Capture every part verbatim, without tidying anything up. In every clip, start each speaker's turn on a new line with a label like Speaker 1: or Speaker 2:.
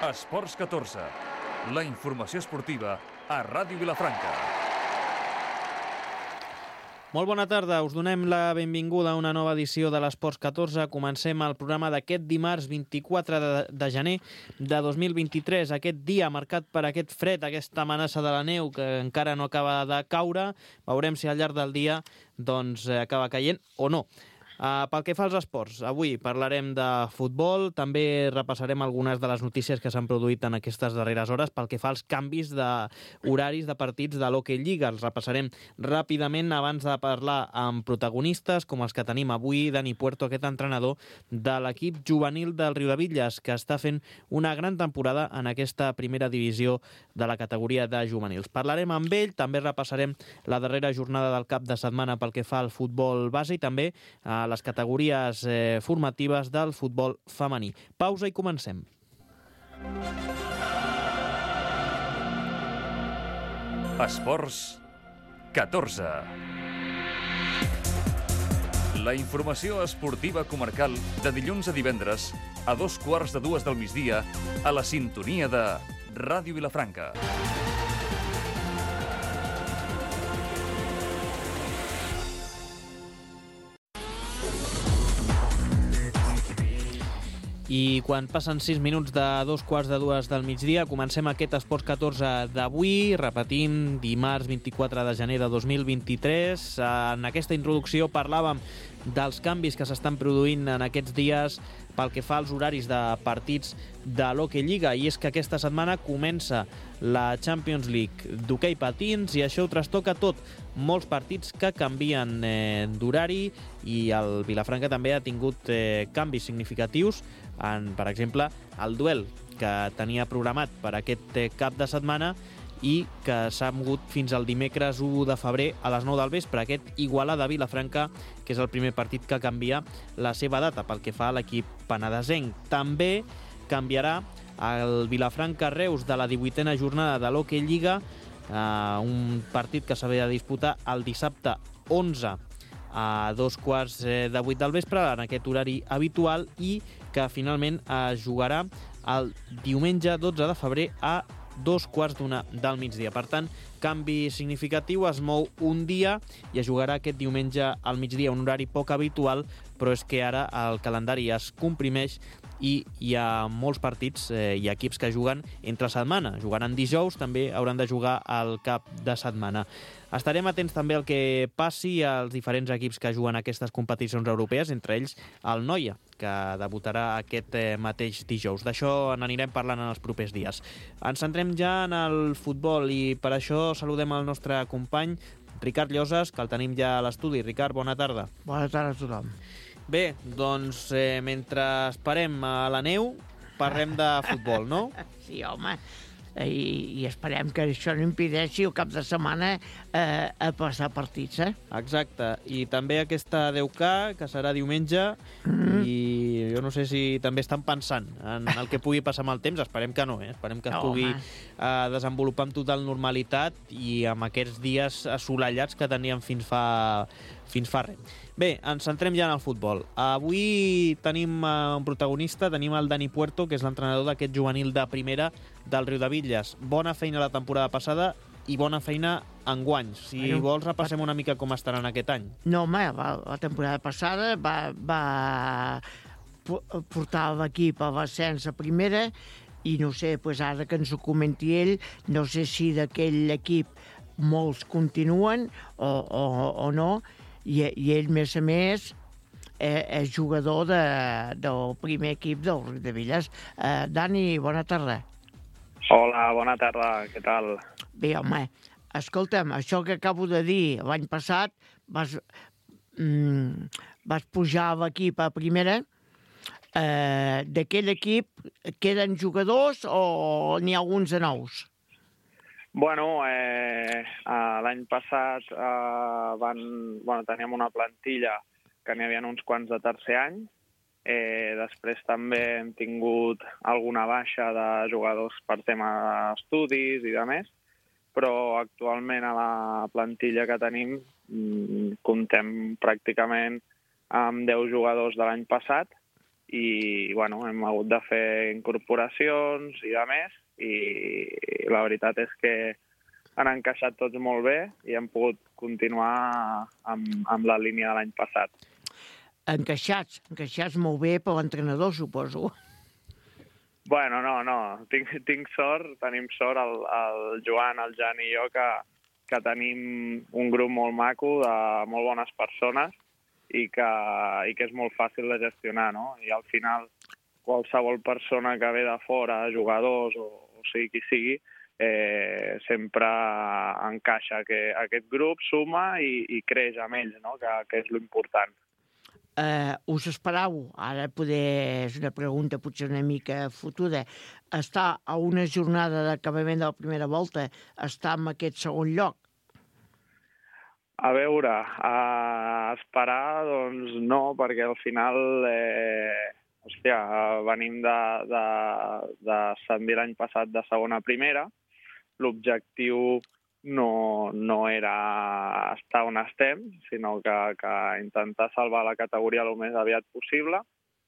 Speaker 1: Esports catorze, la informació esportiva a Ràdio Vilafranca.
Speaker 2: Molt bona tarda, us donem la benvinguda a una nova edició de l'Esports catorze. Comencem el programa d'aquest dimarts vint-i-quatre de gener de dos mil vint-i-tres. Aquest dia marcat per aquest fred, aquesta amenaça de la neu que encara no acaba de caure. Veurem si al llarg del dia doncs, acaba caient o no. Uh, pel que fa als esports, avui parlarem de futbol, també repassarem algunes de les notícies que s'han produït en aquestes darreres hores pel que fa als canvis d'horaris de partits de l'Hockey Lliga. Els repassarem ràpidament abans de parlar amb protagonistes com els que tenim avui. Dani Puerto, aquest entrenador de l'equip juvenil del Riudebitlles, que està fent una gran temporada en aquesta primera divisió de la categoria de juvenils. Parlarem amb ell, també repassarem la darrera jornada del cap de setmana pel que fa al futbol base i també a les categories eh, formatives del futbol femení. Pausa i comencem.
Speaker 1: Esports catorze. La informació esportiva comarcal de dilluns a divendres a dos quarts de dues del migdia a la sintonia de Ràdio Vilafranca.
Speaker 2: I quan passen sis minuts de dos quarts de dues del migdia, comencem aquest Esports catorze d'avui. Repetim, dimarts vint-i-quatre de gener de dos mil vint-i-tres. En aquesta introducció parlàvem dels canvis que s'estan produint en aquests dies pel que fa als horaris de partits de l'Hockey Lliga, i és que aquesta setmana comença la Champions League d'hoquei patins i això ho trastoca tot. Molts partits que canvien eh, d'horari i el Vilafranca també ha tingut eh, canvis significatius en, per exemple, el duel que tenia programat per aquest eh, cap de setmana i que s'ha mogut fins al dimecres u de febrer a les nou del vespre, aquest Igualada-Vilafranca, que és el primer partit que canvia la seva data pel que fa a l'equip penedesenc. També canviarà el Vilafranca-Reus de la divuitena jornada de l'Hockey Lliga, eh, un partit que s'havia de disputar el dissabte onze a dos quarts de vuit del vespre, en aquest horari habitual, i que finalment es jugarà el diumenge dotze de febrer a dos quarts d'una del migdia. Per tant, canvi significatiu, es mou un dia i es jugarà aquest diumenge al migdia, un horari poc habitual, però és que ara el calendari es comprimeix i hi ha molts partits eh, i equips que juguen entre setmana. Jugaran dijous, també hauran de jugar al cap de setmana. Estarem atents també al que passi als diferents equips que juguen aquestes competicions europees, entre ells el Noia, que debutarà aquest eh, mateix dijous. D'això n'anirem parlant en els propers dies. Ens centrem ja en el futbol i per això saludem el nostre company Ricard Lloses, que el tenim ja a l'estudi. Ricard, bona tarda.
Speaker 3: Bona tarda a tothom.
Speaker 2: Bé, doncs eh, mentre esperem a la neu, parlem de futbol, no?
Speaker 3: Sí, home, i, i esperem que això no impedeixi el cap de setmana eh, a passar partits, eh?
Speaker 2: Exacte, i també aquesta deu K, que serà diumenge, mm-hmm. i jo no sé si també estan pensant en el que pugui passar amb el temps, esperem que no, eh? Esperem que es
Speaker 3: no,
Speaker 2: pugui eh, desenvolupar amb total normalitat i amb aquests dies assolellats que teníem fins fa, fins fa res. Bé, ens centrem ja en el futbol. Avui tenim un protagonista, tenim el Dani Puerto, que és l'entrenador d'aquest juvenil de primera del Riudebitlles. Bona feina la temporada passada i bona feina enguany. Si bueno, vols, repassem una mica com estaran aquest any.
Speaker 3: No, home, la temporada passada va, va portar l'equip a l'ascens a primera i no sé, pues ara que ens ho comenti ell, no sé si d'aquell equip molts continuen o, o, o no, i, i ell, més a més, eh, és jugador de, del primer equip del Riudebitlles. Eh, Dani, bona tarda.
Speaker 4: Hola, bona tarda, què tal?
Speaker 3: Bé, home, escolta'm, això que acabo de dir, l'any passat vas, mm, vas pujar a l'equip a primera. Eh, d'aquell equip queden jugadors o n'hi ha alguns de nous?
Speaker 4: Bueno, eh, l'any passat eh, van, bueno, teníem una plantilla que n'hi havia uns quants de tercer any. Eh, després també hem tingut alguna baixa de jugadors per tema d'estudis i de més, però actualment a la plantilla que tenim mm, comptem pràcticament amb deu jugadors de l'any passat i bueno, hem hagut de fer incorporacions i de més, i la veritat és que han encaixat tots molt bé i hem pogut continuar amb, amb la línia de l'any passat.
Speaker 3: Encaixats, encaixats molt bé per l'entrenador, suposo.
Speaker 4: Bueno, no, no, tinc, tinc sort, tenim sort, el, el Joan, el Jan i jo, que, que tenim un grup molt maco de molt bones persones i que, i que és molt fàcil de gestionar, no? I al final qualsevol persona que ve de fora, jugadors o, o sigui qui sigui, eh, sempre encaixa que aquest grup suma i, i creix amb ells, no? que, que és l'important.
Speaker 3: Uh, us esperau, ara poder, és una pregunta potser una mica fotuda, estar a una jornada d'acabament de la primera volta, estar en aquest segon lloc?
Speaker 4: A veure, a esperar, doncs no, perquè al final, eh, hòstia, venim de, de, de ascendir l'any passat de segona a primera, l'objectiu no, no era estar on estem, sinó que, que intentar salvar la categoria el més aviat possible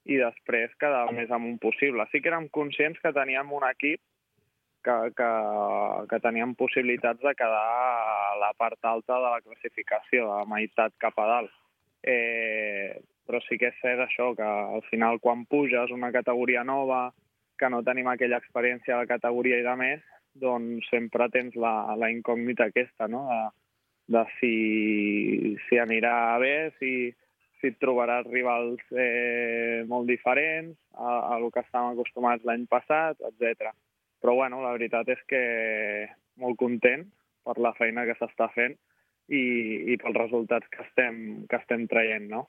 Speaker 4: i després quedar el més amunt possible. Sí que érem conscients que teníem un equip que, que, que teníem possibilitats de quedar a la part alta de la classificació, a la meitat cap a dalt. Eh, però sí que és cert això, que al final quan puges una categoria nova, que no tenim aquella experiència de la categoria i de més, doncs sempre tens la, la incògnita aquesta, no? de, de si, si anirà bé, si, si et trobaràs rivals eh, molt diferents a, a el que estàvem acostumats l'any passat, etcètera. Però bueno, la veritat és que molt content per la feina que s'està fent i, i pels resultats que estem, que estem traient, no?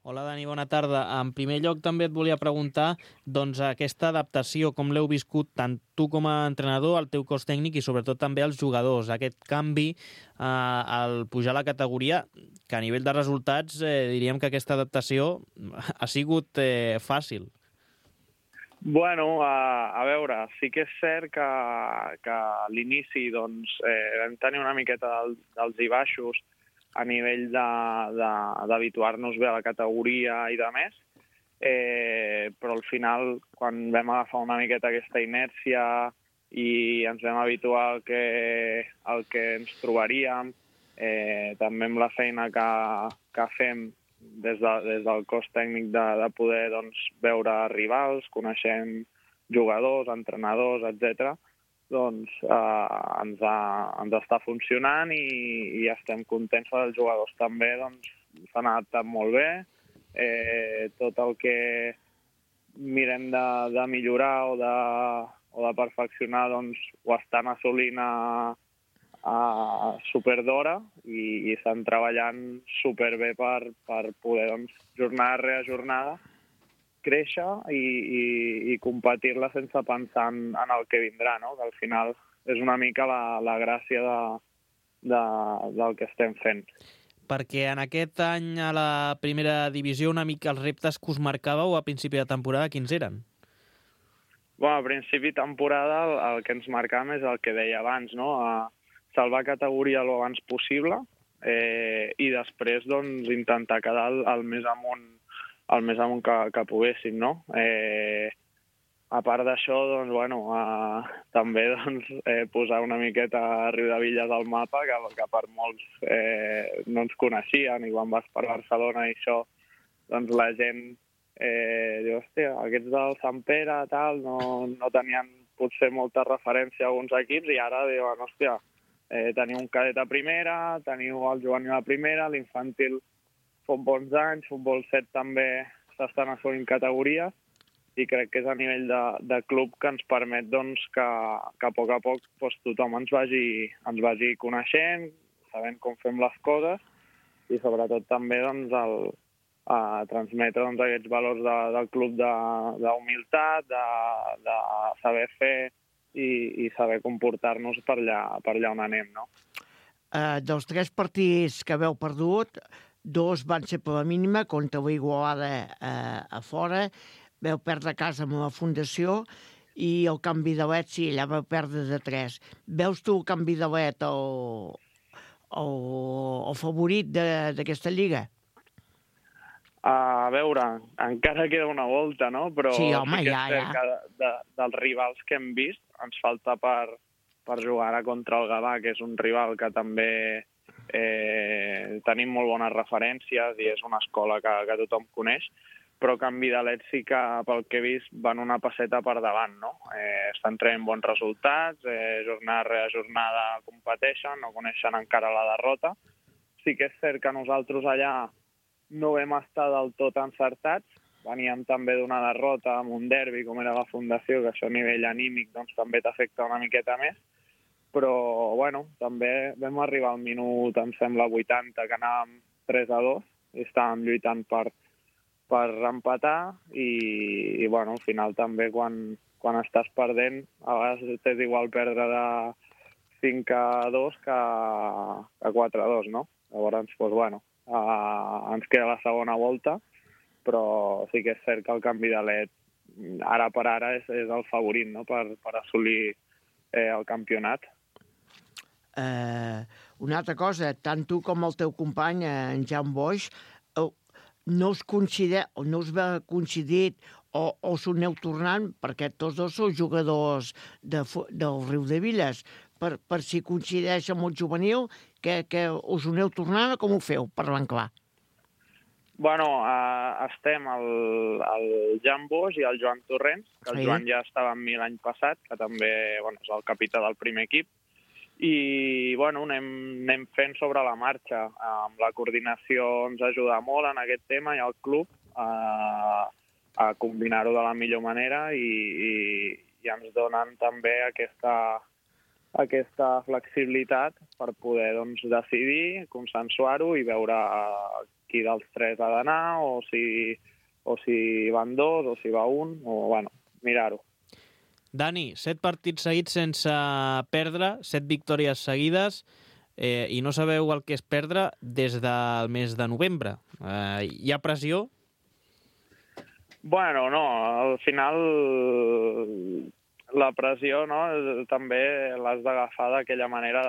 Speaker 2: Hola, Dani, bona tarda. En primer lloc, també et volia preguntar doncs, aquesta adaptació, com l'heu viscut tant tu com a entrenador, el teu cos tècnic i sobretot també els jugadors. Aquest canvi eh, al pujar a la categoria, que a nivell de resultats eh, diríem que aquesta adaptació ha sigut eh, fàcil.
Speaker 4: Bueno, a, a veure, sí que és cert que, que a l'inici doncs, eh, vam tenir una miqueta del, dels i baixos a nivell d'habituar-nos bé a la categoria i de més, eh, però al final, quan vam agafar una miqueta aquesta inèrcia i ens vam habituar al que, al que ens trobaríem, eh, també amb la feina que, que fem des, de, des del cos tècnic de, de poder doncs, veure rivals, coneixem jugadors, entrenadors, etcètera, doncs eh, ens, ha, ens està funcionant i, i estem contents perquè els jugadors també doncs, s'han adaptat molt bé. Eh, tot el que mirem de, de millorar o de, o de perfeccionar doncs, ho estan assolint a, a super d'hora i, i estan treballant superbé per, per poder doncs, jornada rere jornada créixer i, i, i competir-la sense pensar en, en el que vindrà, no? Que al final és una mica la, la gràcia de, de, del que estem fent.
Speaker 2: Perquè en aquest any a la primera divisió una mica els reptes que us marcàveu a principi de temporada, quins eren?
Speaker 4: Bueno, a principi de temporada el, el que ens marcàvem és el que deia abans, no? A salvar categoria el abans possible eh, i després doncs, intentar quedar el, el més amunt el més amunt que, que poguéssim, no? Eh, a part d'això, doncs, bueno, eh, també doncs, eh, posar una miqueta a Riudevilles al mapa, que, que per molts eh, no ens coneixien, i quan vas per Barcelona i això, doncs la gent eh, diu, hòstia, aquests del Sant Pere, tal, no, no tenien potser molta referència a alguns equips, i ara diuen, hòstia, eh, teniu un cadet a primera, teniu el juvenil a primera, l'infantil futbol anys, futbol set també s'estan assolint categories i crec que és a nivell de, de club que ens permet doncs, que, que a poc a poc doncs, tothom ens vagi, ens vagi coneixent, sabent com fem les coses i sobretot també doncs, el, a transmetre doncs, aquests valors de, del club d'humilitat, de, de, de saber fer i, i saber comportar-nos per allà, per allà on anem. No?
Speaker 3: Uh, dels tres partits que haveu perdut, dos van ser per la mínima, contra la Igualada eh, a fora, vau perdre a casa amb la Fundació i el canvi de l'Et, sí, allà vau perdre de tres. Veus tu el canvi de l'Et el, el, el favorit d'aquesta lliga?
Speaker 4: A veure, encara queda una volta, no? Però
Speaker 3: sí, home,
Speaker 4: sí que
Speaker 3: ja,
Speaker 4: és cert
Speaker 3: ja.
Speaker 4: que de, de, dels rivals que hem vist ens falta per, per jugar ara contra el Gavà, que és un rival que també eh, tenim molt bones referències i és una escola que, que tothom coneix, però que en Vidalet sí que, pel que he vist, van una passeta per davant, no? Eh, estan traient bons resultats, eh, jornada rere jornada competeixen, no coneixen encara la derrota. Sí que és cert que nosaltres allà no vam estar del tot encertats, veníem també d'una derrota amb un derbi, com era la Fundació, que això a nivell anímic doncs, també t'afecta una miqueta més, però bueno, també vam arribar al minut, em sembla, vuitanta, que anàvem tres a dos, i estàvem lluitant per, per empatar, i, i bueno, al final també quan, quan estàs perdent, a vegades t'és igual perdre de cinc a dos que, que quatre a dos, no? Llavors, doncs, bueno, Uh, ens queda la segona volta, però sí que és cert que el canvi de L E D ara per ara és, és el favorit, no? per, per assolir eh, el campionat.
Speaker 3: Uh, una altra cosa, tant tu com el teu company, en Jan Boix, uh, no us considera, o no us va coincidit o, o us aneu tornant, perquè tots dos sou jugadors de, del Riudebitlles, per, per si coincideix amb el juvenil, que, que us aneu tornant o com ho feu, parlant clar?
Speaker 4: Bueno, uh, estem el, el Jan Boix i el Joan Torrents, que el sí. Joan ja estava amb mi l'any passat, que també bueno, és el capità del primer equip, i bueno, anem, anem fent sobre la marxa. Amb la coordinació ens ajuda molt en aquest tema i el club uh, a combinar-ho de la millor manera i, i, i ens donen també aquesta, aquesta flexibilitat per poder doncs, decidir, consensuar-ho i veure qui dels tres ha d'anar o si, o si van dos o si va un, o bueno, mirar-ho.
Speaker 2: Dani, set partits seguits sense perdre, set victòries seguides, eh, i no sabeu el que és perdre des del mes de novembre. Eh, hi ha pressió? Bueno,
Speaker 4: no, al final la pressió no, també l'has d'agafar d'aquella manera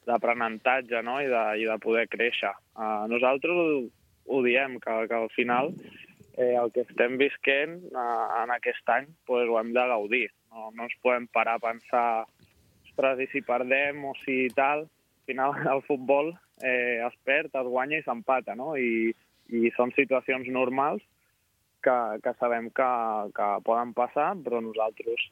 Speaker 4: d'aprenentatge no, i, de, i de poder créixer. Uh, nosaltres ho, ho diem, que, que al final eh, el que estem visquent uh, en aquest any pues, ho hem de gaudir. No, no ens podem parar a pensar ostres, i si perdem o si tal. Al final el futbol eh, es perd, es guanya i s'empata, no? I, i són situacions normals que, que sabem que, que poden passar, però nosaltres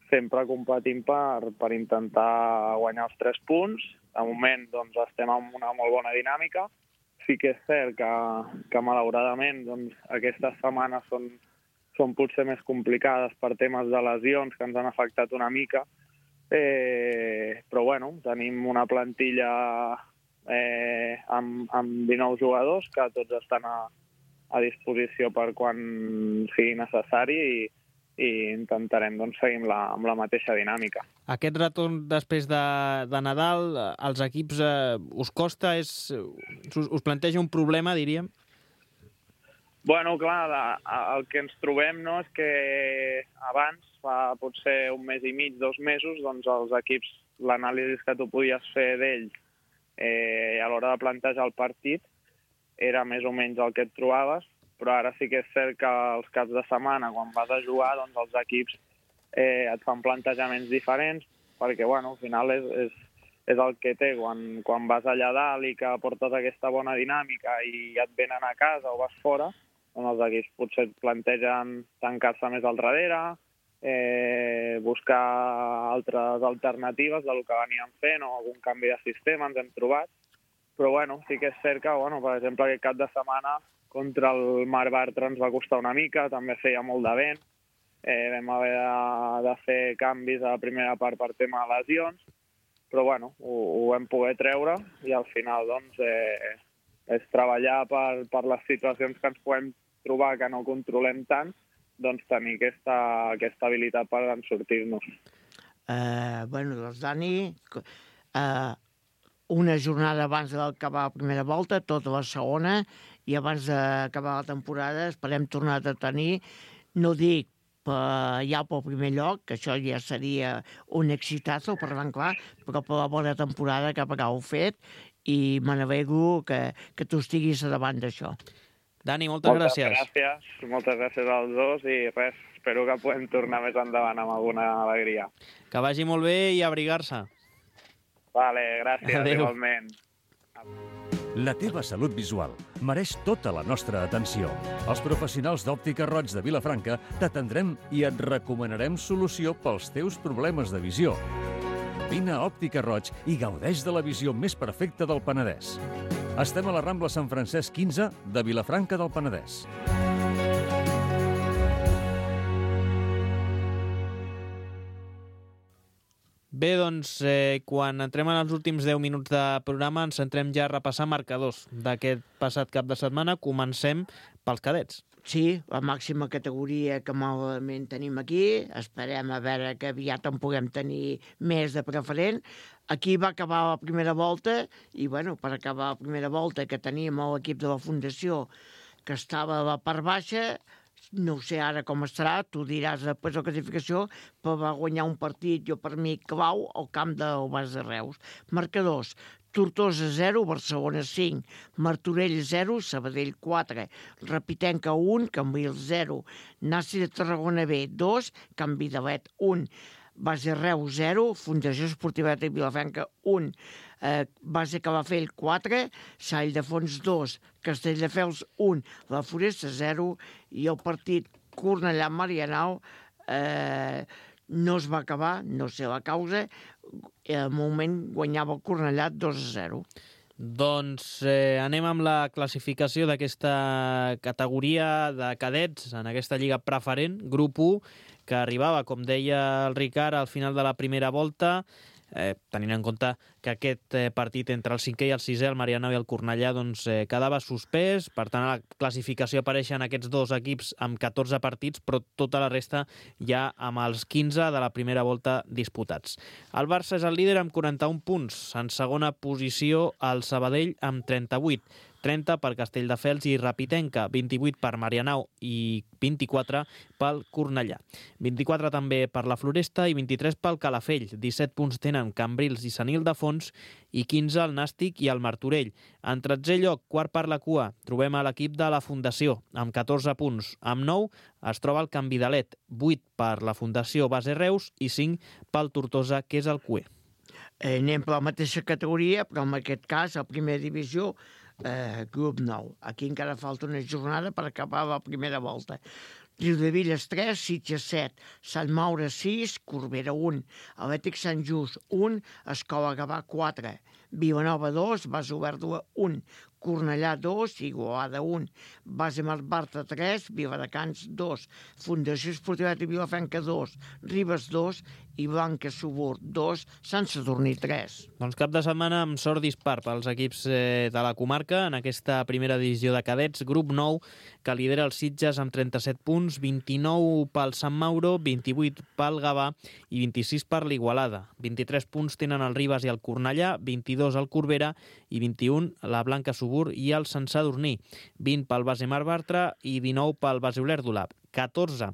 Speaker 4: sempre competim per, per intentar guanyar els tres punts. De moment doncs, estem en una molt bona dinàmica. Sí que és cert que, que malauradament doncs, aquestes setmanes són, són potser més complicades per temes de lesions que ens han afectat una mica, eh, però bueno, tenim una plantilla eh, amb, amb dinou jugadors que tots estan a, a disposició per quan sigui necessari i, i intentarem doncs, seguir amb la, amb la mateixa dinàmica.
Speaker 2: Aquest retorn després de, de Nadal, als equips eh, us costa? És, us, us planteja un problema, diríem?
Speaker 4: Bueno, clar, el que ens trobem no, és que abans, fa potser un mes i mig, dos mesos, doncs els equips, l'anàlisi que tu podies fer d'ells eh, a l'hora de plantejar el partit era més o menys el que et trobaves, però ara sí que és cert que els caps de setmana, quan vas a jugar, doncs els equips eh, et fan plantejaments diferents, perquè, bueno, al final és, és, és el que té. Quan, quan vas allà dalt i que portes aquesta bona dinàmica i et venen a casa o vas fora, doncs els equips potser et plantegen tancar-se més al darrere, eh, buscar altres alternatives del que veníem fent o algun canvi de sistema ens hem trobat. Però, bueno, sí que és cert que, bueno, per exemple, aquest cap de setmana contra el Mar Bartra ens va costar una mica, també feia molt de vent, eh, vam haver de, de fer canvis a la primera part per tema de lesions, però, bueno, ho, ho vam poder treure i al final, doncs, eh, és treballar per, per les situacions que ens podem trobar que no controlem tant, doncs tenir aquesta, aquesta habilitat per en sortir-nos.
Speaker 3: Uh, bueno, doncs, Dani, uh, una jornada abans d'acabar la primera volta, tota la segona, i abans d'acabar la temporada esperem tornar a tenir, no dic per, ja pel primer lloc, que això ja seria un exitazo, parlant clar, però per la bona temporada que haureu fet, i me n'alegro que, que tu estiguis davant d'això.
Speaker 2: Dani, moltes, moltes gràcies.
Speaker 4: Moltes gràcies, moltes gràcies als dos i res, espero que podem tornar més endavant amb alguna alegria.
Speaker 2: Que vagi molt bé i abrigar-se.
Speaker 4: Vale, gràcies,
Speaker 2: Adéu.
Speaker 4: igualment.
Speaker 1: La teva salut visual mereix tota la nostra atenció. Els professionals d'Òptica Roig de Vilafranca t'atendrem i et recomanarem solució pels teus problemes de visió. Vine a Òptica Roig i gaudeix de la visió més perfecta del Penedès. Estem a la Rambla Sant Francesc quinze de Vilafranca del Penedès.
Speaker 2: Bé, doncs, eh, quan entrem en els últims deu minuts de programa ens centrem ja a repassar marcadors d'aquest passat cap de setmana. Comencem pels cadets.
Speaker 3: Sí, la màxima categoria que malament tenim aquí. Esperem a veure que aviat en puguem tenir més de preferent. Aquí va acabar la primera volta i, bueno, per acabar la primera volta que teníem l'equip de la Fundació que estava a la part baixa, no sé ara com estarà, tu diràs després de la classificació, però va guanyar un partit, jo per mi, clau, al camp del Bas de Reus. Marcadors: Tortosa zero, Barcelona cinc, Martorell zero, Sabadell quatre, Rapitenca un, Cambrils zero, Nasi de Tarragona B dos, Can Vidalet un, Base Reus zero, Fundació Esportiva de Vilafranca un, eh, Base Calafell quatre, Sall de Fons dos, Castelldefels un, La Foresta zero, i el partit Cornellà-Marianao eh, no es va acabar, no sé la causa, i al moment guanyava el Cornellà dos a zero.
Speaker 2: Doncs eh, anem amb la classificació d'aquesta categoria de cadets en aquesta lliga preferent, grup u, que arribava, com deia el Ricard, al final de la primera volta, eh, tenint en compte que aquest eh, partit entre el cinquè i el sisè, el Marianao i el Cornellà, doncs, eh, quedava suspès. Per tant, a la classificació apareixen aquests dos equips amb catorze partits, però tota la resta ja amb els quinze de la primera volta disputats. El Barça és el líder amb quaranta-un punts. En segona posició, el Sabadell amb trenta-vuit. trenta per Castelldefels i Rapitenca, vint-i-vuit per Marianao i vint-i-quatre pel Cornellà. vint-i-quatre també per la Floresta i vint-i-tres pel Calafell. disset punts tenen Cambrils i Sant Ildefons i quinze el Nàstic i el Martorell. En tretzè lloc, quart per la cua, trobem a l'equip de la Fundació, amb catorze punts. Amb nou es troba el Can Vidalet, vuit per la Fundació Base Reus i cinc pel Tortosa, que és el Q E.
Speaker 3: Eh, anem per la mateixa categoria, però en aquest cas, a primera divisió, eh, grup nou. Aquí encara falta una jornada per acabar la primera volta. Riudevilles tres, Sitges set, Sant Maure sis, Corbera un, Atlètic Sant Just un, Escola Gavà quatre, Vilanova dos, Base Oberta un, Cornellà dos, Igualada un, Base Marbarta tres, Viladecans dos, Fundació Esportiva de Vilafranca dos, Ribes dos i Blanca Subur dos, Sant Sadurní tres.
Speaker 2: Doncs cap de setmana amb sort dispar pels equips eh, de la comarca en aquesta primera divisió de cadets, grup nou, que lidera el Sitges amb trenta-set punts, vint-i-nou pel Sant Mauro, vint-i-vuit pel Gavà i vint-i-sis per l'Igualada. vint-i-tres punts tenen el Ribes i el Cornellà, vint-i-dos el Corbera i vint-i-un la Blanca Subur i el Sant Sadurní, vint pel Base Mar Bartra i dinou pel Base Olèrdola, catorze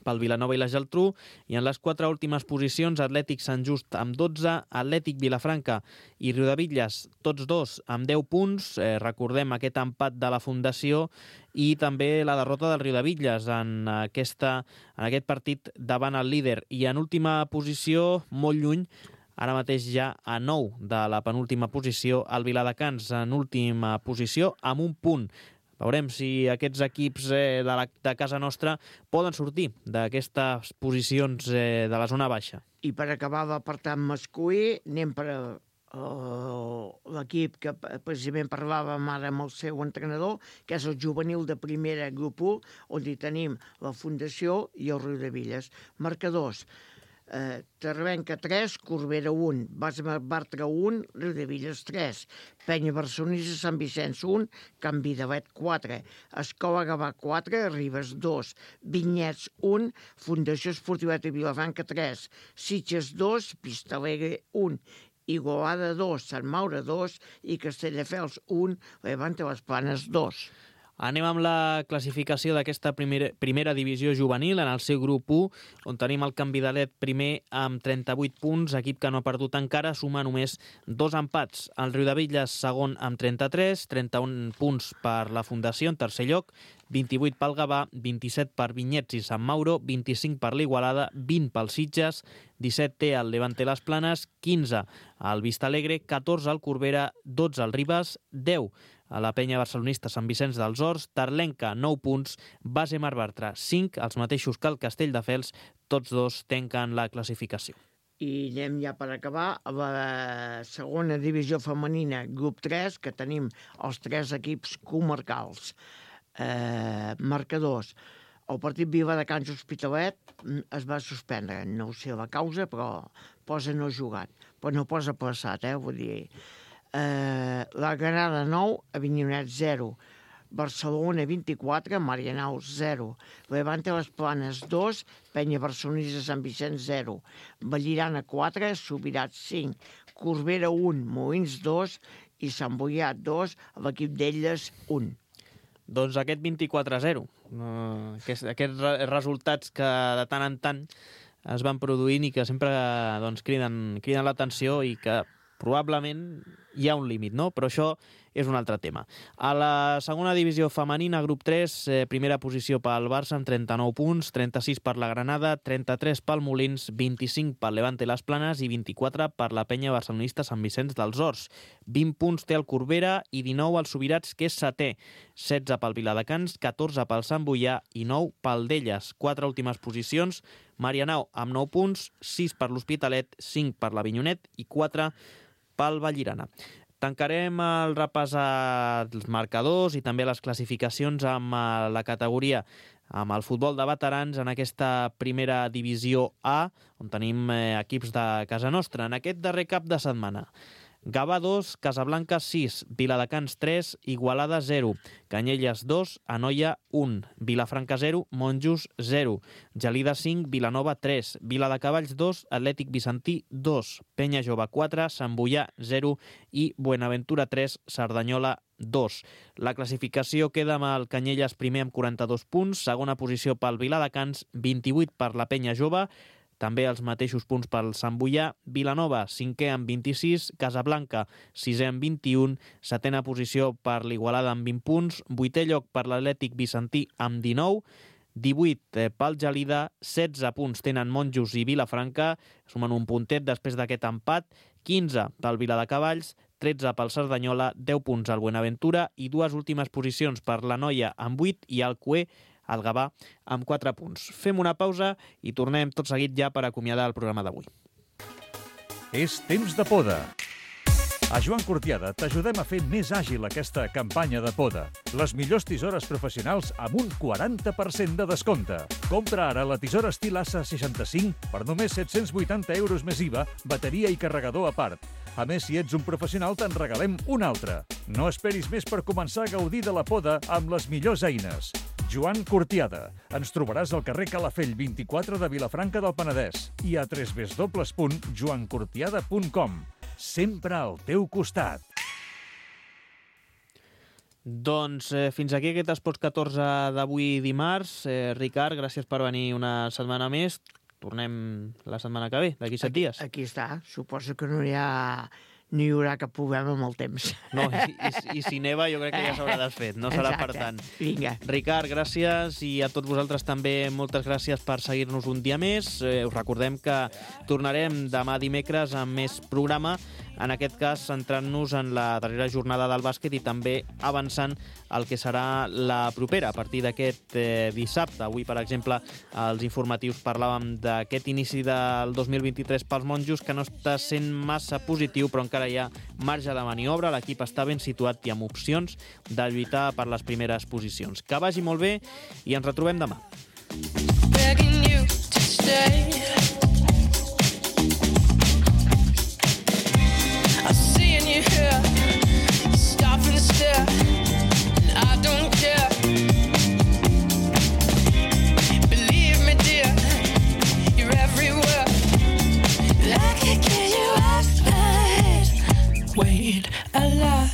Speaker 2: pel Vilanova i la Geltrú, i en les quatre últimes posicions Atlètic Sant Just amb dotze, Atlètic Vilafranca i Riudevilles, tots dos amb deu punts. Eh, recordem aquest empat de la Fundació i també la derrota del Riudevilles en, aquesta, en aquest partit davant el líder. I en última posició, molt lluny, ara mateix ja a nou de la penúltima posició, el Viladecans en última posició amb un punt. Veurem si aquests equips eh, de, la, de casa nostra poden sortir d'aquestes posicions eh, de la zona baixa.
Speaker 3: I per acabar l'apartat masculí, anem per uh, l'equip que precisament parlàvem ara amb el seu entrenador, que és el juvenil de primera grup u, on hi tenim la Fundació i el Riudevilles. Marcadors: Eh, Tervenca tres, Corbera un, Base Bartra un, Riudevilles tres, Penya Barcelonista Sant Vicenç un, Can Vidalet quatre, Escola Gavà quatre, Ribes dos, Vinyets un, Fundació Esportiva de Vilafranca tres, Sitges dos, Vistalegre un, Igualada dos, Sant Maure dos i Castelldefels un, Levante les Planes dos.
Speaker 2: Anem amb la classificació d'aquesta primera, primera divisió juvenil en el seu grup u, on tenim el Can Vidalet primer amb trenta-vuit punts, equip que no ha perdut encara, suma només dos empats. El Riudebitlles segon amb trenta-tres, trenta-un punts per la Fundació en tercer lloc, vint-i-vuit pel Gavà, vint-i-set per Vinyets i Sant Mauro, vint-i-cinc per l'Igualada, vint pel Sitges, disset té el Levante Les Planes, quinze al Vistalegre, catorze al Corbera, dotze al Ribes, deu a la penya barcelonista Sant Vicenç dels Horts, Tarlenca, nou punts, Base Mar Bartra, cinc, els mateixos que el Castelldefels, tots dos tanquen la classificació.
Speaker 3: I anem ja per acabar a la segona divisió femenina, grup tres, que tenim els tres equips comarcals. Eh, marcadors. El partit Viladecans Hospitalet es va suspendre, no sé la causa, però posa no jugat, però no posa plaçat, eh, vull dir... Eh, la Granada nou, Avinyonet zero, Barcelona vint-i-quatre, Marianao zero, Levante Les Planes dos, Penya Barcelonista Sant Vicenç zero, Vallirana quatre, Subirats cinc, Corbera un, Molins dos i Sant Boià dos, l'equip d'Elles un.
Speaker 2: Doncs aquest vint-i-quatre a zero, uh, aquests, aquests resultats que de tant en tant es van produint i que sempre doncs, criden, criden l'atenció i que probablement hi ha un límit, no? Però això és un altre tema. A la segona divisió femenina, grup tres, eh, primera posició pel Barça amb trenta-nou punts, trenta-sis per la Granada, trenta-tres pel Molins, vint-i-cinc per Levante Les Planes i vint-i-quatre per la penya barcelonista Sant Vicenç dels Horts. vint punts té el Corbera i dinou el Subirats, que és setè, setze pel Viladecans, catorze pel Sant Boià i nou pel d'Elles. Quatre últimes posicions, Marianao amb nou punts, sis per l'Hospitalet, cinc per l'Avinyonet i quatre pel Vallirana. Tancarem el repàs als marcadors i també les classificacions amb la categoria, amb el futbol de veterans en aquesta primera divisió A, on tenim equips de casa nostra. En aquest darrer cap de setmana, Gavà dos, Casablanca sis, Viladecans tres, Igualada zero, Canyelles dos, Anoia un, Vilafranca zero, Monjos zero, Gelida cinc, Vilanova tres, Viladecavalls dos, Atlètic Vicentí dos, Penya Jove quatre, Sant Boià zero i Buenaventura tres, Cerdanyola dos. La classificació queda amb el Canyelles primer amb quaranta-dos punts, segona posició pel Viladecans, vint-i-vuit per la Penya Jove, també els mateixos punts pel Sant Boià, Vilanova, cinquè amb vint-i-sis, Casablanca, sisè amb vint-i-un, setena posició per l'Igualada amb vint punts, vuitè lloc per l'Atlètic Vicentí amb dinou, divuit pel Gelida, setze punts tenen Monjos i Vilafranca, sumen un puntet després d'aquest empat, quinze pel Viladecavalls, tretze pel Cerdanyola, deu punts al Buenaventura i dues últimes posicions per l'Anoia amb vuit i el Cué, el Gavà, amb quatre punts. Fem una pausa i tornem tot seguit ja per acomiadar el programa d'avui.
Speaker 1: És temps de poda. A Joan Cortiada t'ajudem a fer més àgil aquesta campanya de poda. Les millors tisores professionals amb un quaranta per cent de descompte. Compra ara la tisora estil A S A seixanta-cinc per només set-cents vuitanta euros més I V A, bateria i carregador a part. A més, si ets un professional, te'n regalem una altra. No esperis més per començar a gaudir de la poda amb les millors eines. Joan Cortiada. Ens trobaràs al carrer Calafell vint-i-quatre de Vilafranca del Penedès i a w w w punt joan cortiada punt com. Sempre al teu costat.
Speaker 2: Doncs eh, fins aquí aquest Esports catorze d'avui dimarts. Eh, Ricard, gràcies per venir una setmana més. Tornem la setmana que ve, d'aquí set dies.
Speaker 3: Aquí, aquí està. Suposo que no hi ha... no hi haurà cap problema amb el temps.
Speaker 2: No, i, i, i si neva jo crec que ja s'haurà desfet, no serà per tant.
Speaker 3: Vinga.
Speaker 2: Ricard, gràcies, i a tots vosaltres també moltes gràcies per seguir-nos un dia més. Eh, us recordem que tornarem demà dimecres amb més programa, en aquest cas centrant-nos en la darrera jornada del bàsquet i també avançant el que serà la propera, a partir d'aquest eh, dissabte. Avui, per exemple, als informatius parlàvem d'aquest inici del dos mil vint-i-tres pels Monjos, que no està sent massa positiu, però encara hi ha marge de maniobra, l'equip està ben situat i amb opcions de lluitar per les primeres posicions. Que vagi molt bé i ens retrobem demà. Begging you to stay. I see in you here, stop and stare, and I don't care. Believe me, dear, you're everywhere. I can get you off my head. Wait a lot,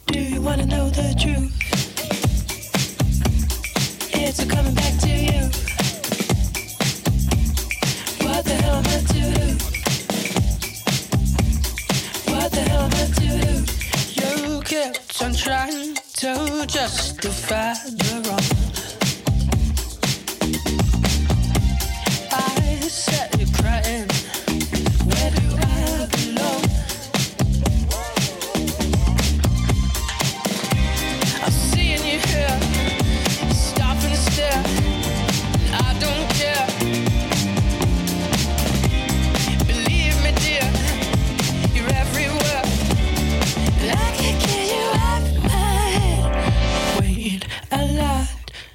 Speaker 2: do you want to know the truth?
Speaker 5: keeps on trying to justify the wrong. I set